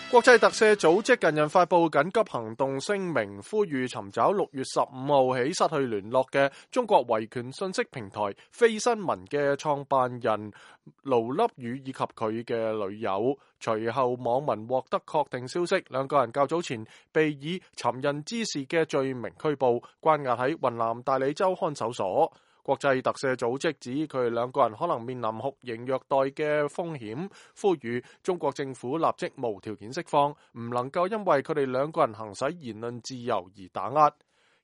國際特赦組織近日發布緊急行動聲明，呼籲尋找6月15號起失去聯絡嘅中國維權信息平台飛新聞嘅創辦人盧粒宇以及佢嘅女友。隨後網民獲得確定消息，兩個人較早前被以尋釁滋事嘅罪名拘捕，關押喺雲南大理州看守所。國際特赦組織指佢哋兩個人可能面臨酷刑虐待嘅風險，呼籲中國政府立即無條件釋放，唔能夠因為佢哋兩個人行使言論自由而打壓。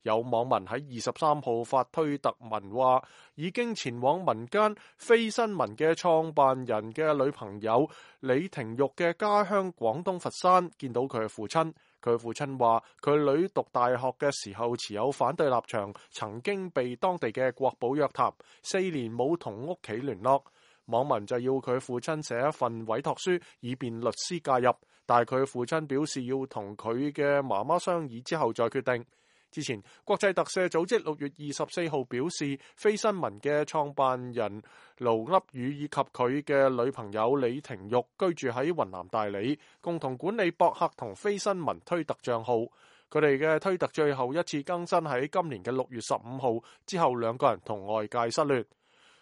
有網民喺23號發推特文話，已經前往民間飛新聞嘅創辦人嘅女朋友李廷玉嘅家鄉廣東佛山，見到佢嘅父親。佢父親話，佢女讀大學嘅時候持有反對立場，曾經被當地嘅國保約談，4年冇同屋企聯絡。網民就要佢父親寫一份委託書，以便律師介入，但係佢父親表示要同佢嘅媽媽商議之後再決定。之前，國際特赦組織6月24號表示，飛新聞嘅創辦人盧粒宇以及佢嘅女朋友李廷玉居住喺雲南大理，共同管理博客同飛新聞推特帳號。佢哋嘅推特最後一次更新喺今年嘅6月15號，之後兩個人同外界失聯。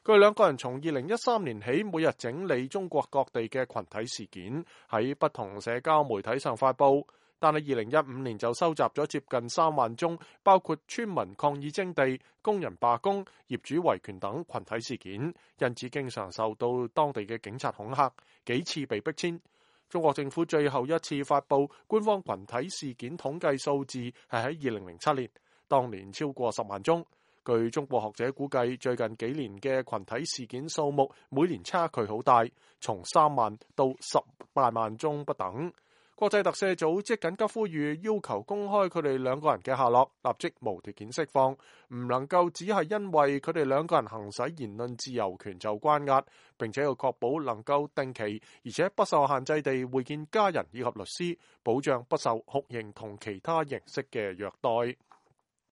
佢哋兩個人從2013年起，每日整理中國各地嘅群體事件，喺不同社交媒體上發布。但係2015年就收集咗接近3萬宗，包括村民抗議徵地、工人罷工、業主維權等群體事件，因此經常受到當地嘅警察恐嚇，幾次被逼遷。中國政府最後一次發布官方群體事件統計數字係喺2007年，當年超過10萬宗。據中國學者估計，最近幾年嘅群體事件數目每年差距好大，從3萬到18萬宗不等。國際特赦組織緊急呼籲，要求公開佢哋兩個人嘅下落，立即無條件釋放，唔能夠只係因為佢哋兩個人行使言論自由權就關押，並且要確保能夠定期而且不受限制地會見家人以及律師，保障不受酷刑同其他形式嘅虐待。